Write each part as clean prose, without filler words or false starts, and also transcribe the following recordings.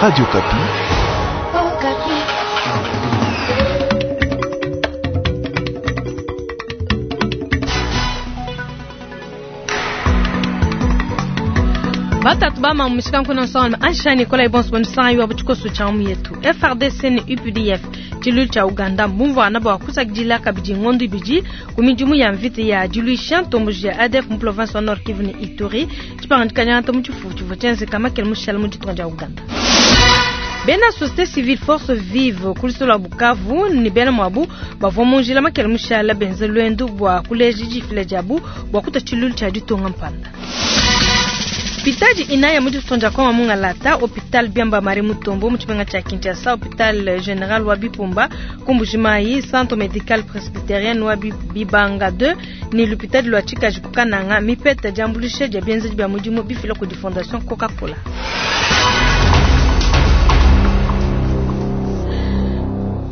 Radio Okapi. Batatu ba mamu mishikanku na nsonga ansha Nikolai bonso bonisanga wa butshikoso tshia mu yetu FRDC ne UPDF tshiluilu tshia Uganda mbumvuana bua kusakidila kabidi ngondo ibidi ku midimu ya mvita ya diluisha ntomboji ya ADF mu province wa Nord Kivu ne Ituri tshipangadika diangata mu tshifufu tshivua tshienzeka makele mushala mu ditunga dia Uganda. Bena société civile force vive ku luseke lua Bukavu ne bena muabu bavua mu njila makele mushala benze luendu bua kuleja difila diabu bua kutua tshiluilu tshia ditunga mpanda. Pitadi inaya mu ditunga dia Kongo Mungalata, hôpital Biamba Marie Mutombo mu tshimenga tshia Kinshasa, hôpital général wa Bipumba ku Mbujimayi, centre médical presbytérien wa Bibanga 2 ni l'hôpital lwa Tshikaji ku Kananga, mipeta diambuluisha dia bienzedi bia mudimu bifila kudi Fondation Coca-Cola.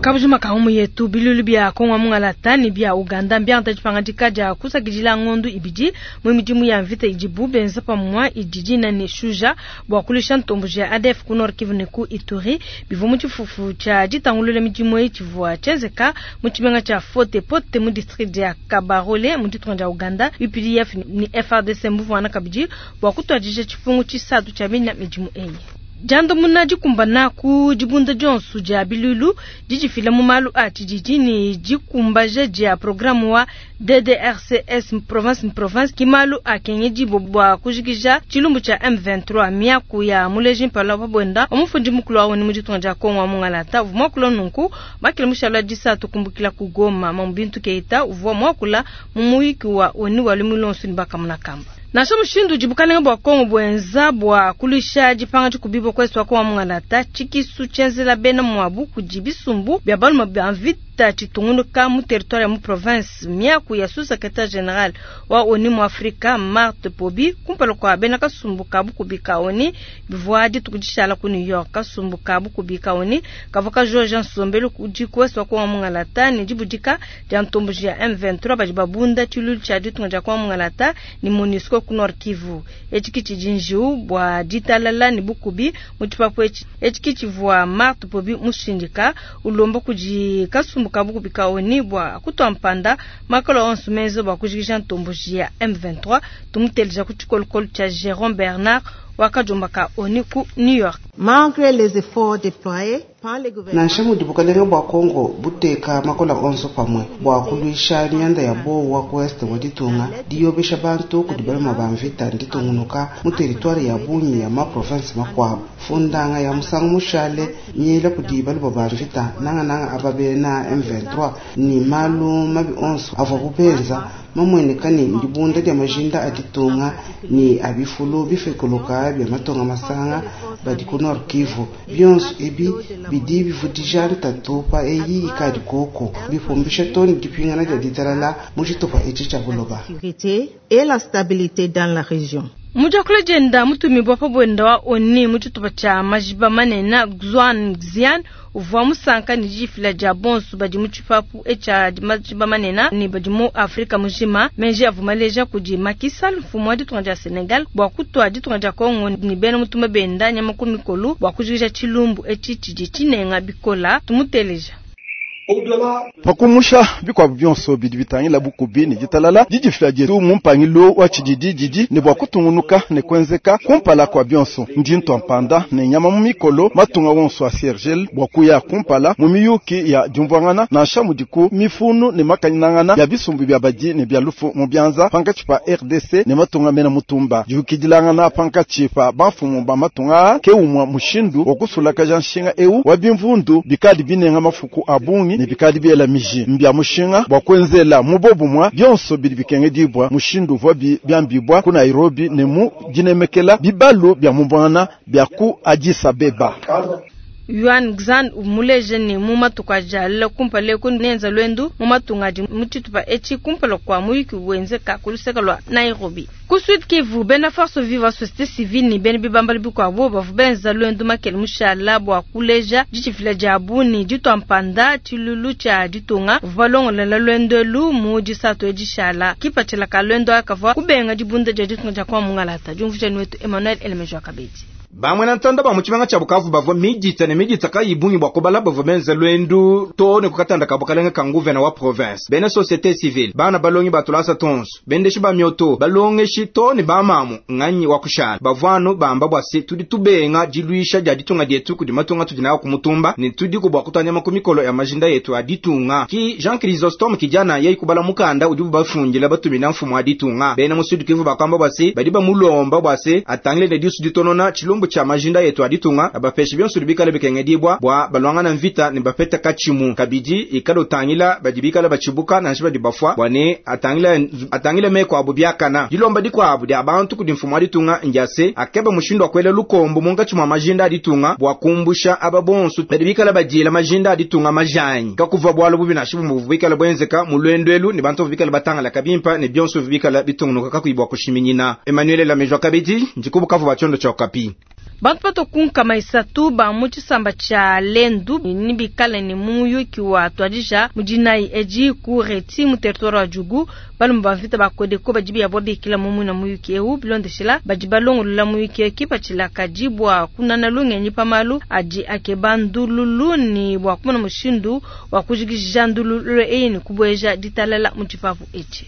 Kabujima ka humu yetu bilulu bia Kongo Mungalata ne bia Uganda mbiangata dipangadika dia kusakidila ngondo ibidi mu midimu ya mvita idibu benza pamua idi dina ne shuja bua kulisha ntomboji ya ADF ku Nord Kivu ne ku Ituri bivua mu tshifufu tshia ditangulula midimu eyi tshivua tshienzeka mu tshimenga tshia Fote Pote mu district dia Kabarole mu ditunga dia Uganda. UPDF ne FRDC mbuvuana kabidi bua kutuadija tshipungu tshisatu tshia bina midimu eyi. Diandamuna dikumbana ku dibunda dionso dia bilulu didifila mu malu a tshididi ne dikumbaja dia programme wa DDRCS province province ki malu a kengedi bua kujikija tshilumbu tshia M23 miaku ya muleji mpala wa bwenda omufundi mukulu wa ONU mu ditunga dia Kongo wa Mungalata uvua muakula nunku makele mushala disatu kumbukila ku Goma Mamu Bintu Keita uvua muakula mu muyiki wa ONU wa lumu lonso ne bakamuna kamba. Nansha mushindu udi bukalenge bua Kongo buenza bua kulusha dipanga dikubibwa kwesu wa Kongo Mungalata tshikisu tshienzela bena muabu kudi bisumbu bia balume bia mvita tshitungunuka mu territoire ya mu province miaku ya sous-secrétaire général wa ONU mu Afrika Marthe Pobi kumpala kwa bena kasumbu ka bukubi ka ONU bivua dituku dishala ku New York. Kasumbu ka bukubi ka ONU kavua kajoja nsombelu kudi kwesu wa Kongo Mungalata ne dibudika dia ntomboji ya M23 badi babunda tshilulu tshia ditunga dia Kongo Mungalata ne MONUSCO ku Nord Kivu. Etshi ki tshidi njiwu bua ditalala ne bukubi mu tshipapu etshi. Etshi ki tshivua Marthe Pobi mushindika ulomba kudi kasumbu ka bukubi ka ONU bua kutua mpanda makalo onso menza bua kujikija ntomboji ya M23. Tumuteleja ku tshikolokolo tshia Jérôme Bernard wakajomba ka ONU ku New York. Malgré les efforts déployés par les gouvernements, nansha mudi bukalenge bua Kongo buteka makola onso pamue bua kuluisha mianda ya bowa ku est wa ditunga diyobesha bantu kudi baluma ba mvita nditungunuka mu territoire ya bungi ya ma province makuabu fundanga ya musangu mushale miela kudi baluma ba mvita nangananga aba bena M23 ni malu mabi onso avua bubenza mamweneka ni ndibunda dia majinda a ditunga ni abifulu bifekuluka bia matonga masanga badi ku Nord Kivu bionso ebi bidi bivudija ntatu pa eyi ikadi koko bipumbisha toni dipingana dia ditalala mu tshitupa etshi tshia buloba. sécurité et la stabilité dans la région. Mujakula dienda mutumibwa pa bwenda wa ONU mu tshitupa tshia majiba manene Xuan Xian uvua musanka ne difila dia bonso badi mu tshipapu etshia majiba manene ne badi mu Afrika mujima. Menji avua maleja kudi Macky Sall mfumu wa ditunga dia Senegal bua kutua ditunga dia Kongo ne bena mutumba benda nyama ku mikolo bua kujikija tshilumbu etshi tshidi tshinenga bikola. Tumuteleja. Pakumusha bikuabu bionso bidi bitangila bukubi ne ditalala didifila dietu mu mpangilu wa tshididi didi ne bua kutungunuka ne kuenzeka kumpala kua bionso. Ndi ntua mpanda ne nyama mu mikolo matunga wonso a Sergel bua kuya kumpala mu miyuki ya diumvuangana nansha mudiku mifunu ne makanyinangana ya bisumbu bia badi ne bia lufu mu bianza pankatshi pa RDC ne matunga mena mutumba. Diyukidilangana pankatshi pa bamfumu ba matunga ke umua mushindu wa kusulakaja nshinga eu wa bimvundu bikadi binenga mafuku a bungi ne bikadi biela miji mbia mushinga bua kuenzela mu bobumwa bionso bidi bikengedibwa mushindu uvua biambibwa ku Nairobi ne mu dinemekela bibalu bia mubwana bia ku Addis Abeba. Yuan Xan umuleje ne mu matuku ajala kumpala ku nenza lwendu mu matunga adi mu tshitupa etshi kumpala kua muyuki wenzeka ku luseke lua Nairobi. Ku Sud Kivu, bena force vive société civile ne bena bibambalu bikuabu bavua benza lwendu makele mushala bua kuleja ditshifila diabu ne ditua mpanda tshilulu tshia ditunga. Bavua balongolola lwendu elu mu disatu edishala. Kipatshila ka lwendu aka kavua kubenga dibunda dia ditunga dia kwa Mungalata. Diumvuija wetu Emmanuel Elemejo Kabedi. Bamwena ntanda ba mu tshimenga tshia Bukavu bavua midita ne midita kayi bungi bua kubala bavua benza luendu too ne ku katanda ka bukalenge ka nguvena wa province. Bena societe civile, bana balongi ba tulasa tuonso, bendeshi ba mioto, balongeshi too ne bamamu nganyi wa kushala bavua anu bamba bua se tudi tubenga diluisha dia ditunga dietu kudi matunga atudi nawu ku mutumba ne tudiku bua kutua nyama ku mikolo ya majinda etu a ditunga. Ki Jean Chrysostome Kidiana yeyi kubala mukanda udibu bafundila batumina mfumu wa ditunga. Bena mu Sud Kivu bakuamba bua se badi bamulomba bua se atangile ne disu ditonona tshilumbu tshia majinda etu a ditunga, abapeshe bionso bidi bikale bikengedibua bua baluangana mvita ne bapeta katshimu. Kabidi ikale utangila badi bikale batshibuka nansha badi bafua bua ne atangile, atangile meku abu biakana. Dilomba dikuabu dia bantu kudi mfumu wa ditunga ndia se akebe mushindu wa kuela lukombo munkatshi mua majinda a ditunga bua kumbusha aba bonso badi bikale badiela majinda a ditunga majanyi. Kakuvua bualu bubi nansha bumue buvua buikale buenzeka mu luendu elu ne bantu bavua bikale batangalaka bimpe ne bionso bivua bikale bitungunuka kakuyi bua kushiminyina. Emmanuel Lamejwa kabidi ndi ku Bukavu bua tshiondo tshia Okapi. Bantu batue ku nkama isatu ba mu tshisamba tshia Lendu nebikale ne mu muyuki wa tuadija mu dinayi edi ku Reti mu territoire wa Djugu. Balume ba mvita ba Codeco badi biabua bikila mu muina muyuki eu bilondeshila badi balongolola muyuki eu kipatshila kadi bua kunana lungenyi pa malu adi akeba ndululu ne bua kumona mushindu wa kujikija ndululu eyi ne kubueja ditalala mu tshipapu etshi.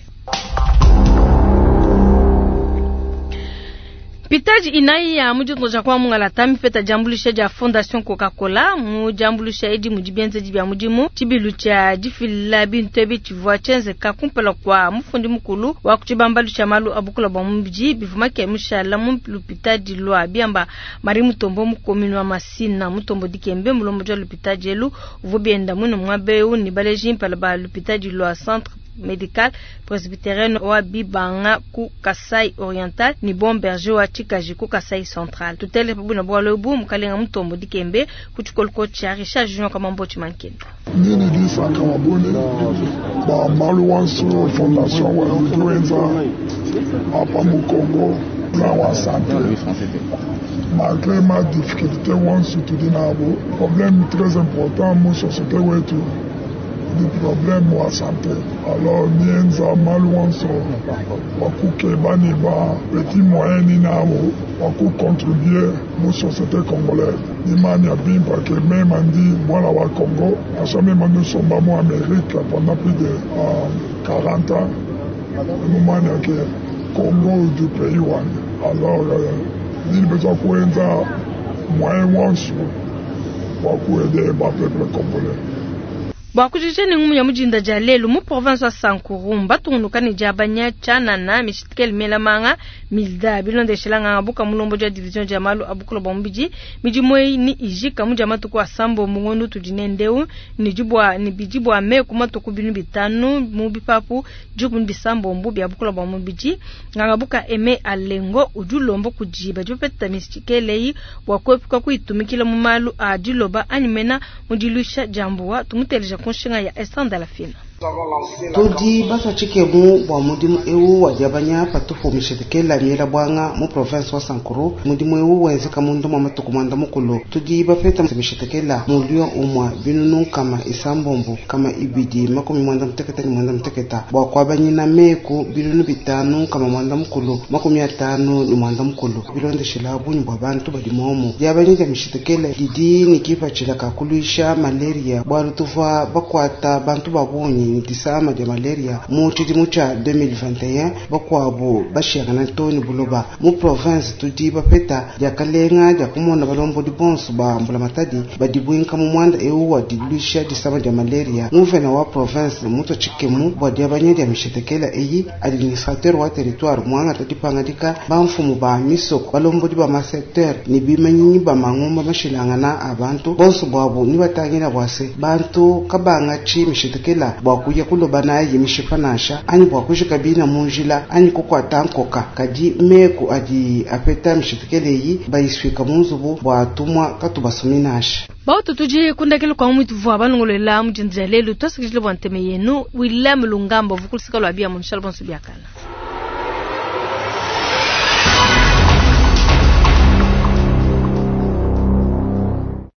Mpitadi inayi ya mu ditunga dia kwa mungalata mipeta diambuluisha dia Fondation Coca-Cola. Mu diambuluisha edi mudi bienzedi bia mudimu. Tshibilu tshia difila bintu ebi tshivua tshienzeka kumpala kua mufundi mukulu wa ku tshibambalu tshia malu a bukula bua mubidi bivua Makiayi mushala mu lupitadi lua Biamba Marie Mutombo mu commune wa Masina. Mutombo Dikembe mulombodi wa lupitadi elu uvua bienda muine muaba eu ne baleji mpala ba lupitadi lua Centre Medical Presbyterian wa Bibanga ku Kasai Oriental ne Bon Berger wa Tshikaji ku Kasai Central. Tutele pa buina bualu ebu Mukalenga Mutombo Dikembe ku tshikoloko tshia Richard Junior Kamambo Tshimankenda. Ndi ne disanka wa bungi bua malu wonso fondation wa udi wenza apa mu Congo plan wa sante malgre ma difficulté wonso tudi nabu problème très important mu société wetu ni problème wa sante alors nienza malu wonso wa kukeba ni ba petit moyen ni nabo wa kucontribuer mu société congolaise nimanya bimpa ke mema ndi mwana wa Congo nansha mema nusomba mu Amérique pendant plus de 40 ans mumanya ke Congo du pays wani alors nini besoin kuenza moyen wonso wa kuaider ba peuple congolais. Bua kujikija ne ngumu ya mu dinda dia lelu mu province wa Sankuru mbatungunuka ne diabanya tshianana mishitikele miela manga milda bilondeshela nganga buka mulombodi wa division dia malu a bukula bua mubidi. Midimu eyi ni ijika mu dia matuku asambombo ngondo tudi nendeu ne dibua ne bidi bua meku matuku binu bitanu mu bipapu dikumi ne bisambombo bia bukula bua mubidi. Nganga buka Aime Alengo udi ulomba kudi badi bapeta mishitikele eyi bua kuepuka kuyitumikila mu malu a diloba anyi mena mu diluisha dia mbuwa. Tumuteleja ku nshinga ya Esther Ndalafina. Tudi batua tshikemu bua mudimu eu wa diabanya patupu mishetekela miela buanga mu province wa Sankuru. Mudimu eu wenzeka mundu mwa matuku mwanda mukulu. Tudi bapeta mishetekela mulio umwa binunu nkama isambombo kama ibidi makumi mwanda muteketa ni mwanda muteketa bua kuabanyina meku binunu bitanu kama mwanda mukulu makumi atanu ni mwanda mukulu bilondeshela bunyi bua bantu badi momo. Diabanya dia mishetekela didi ni kipatshila ka kuluisha malaria bualu tuvua bakuata bantu ba bungi ni disama dia malaria mu tshidimu tshia 2021 bakuabu bashiangana to ni buloba mu province. Tudi bapeta diakalenga dia kumona balombodi bonso ba mbulamatadi badi buinka mu mwanda eu wa diluisha disama dia malaria. Nguvena wa province mutua tshikemu bua diabanya dia mishetekela eyi administrateur wa territoire muangata dipangadika bamfumu ba misoko balombodi ba masecteur ni bimanyinyi ba mangumba mashilangana a bantu bonso buabu ni batangila bua se bantu kabanga tshi mishetekela bua kuya kuloba nayi mishipa nansha anyi bua kujika bina mu njila anyi kukuata nkoka kadi meku adi apeta mishetekela eyi bayisuika mu nzubu bua tumwa katubasumi nansha. Bautu tudi kundakelo kwa mwitu vua balongolola mu dinda dia lelu twasakidile bua nteme yenu William Lungamba vukulusika lua bia mu nshala bonso biakana.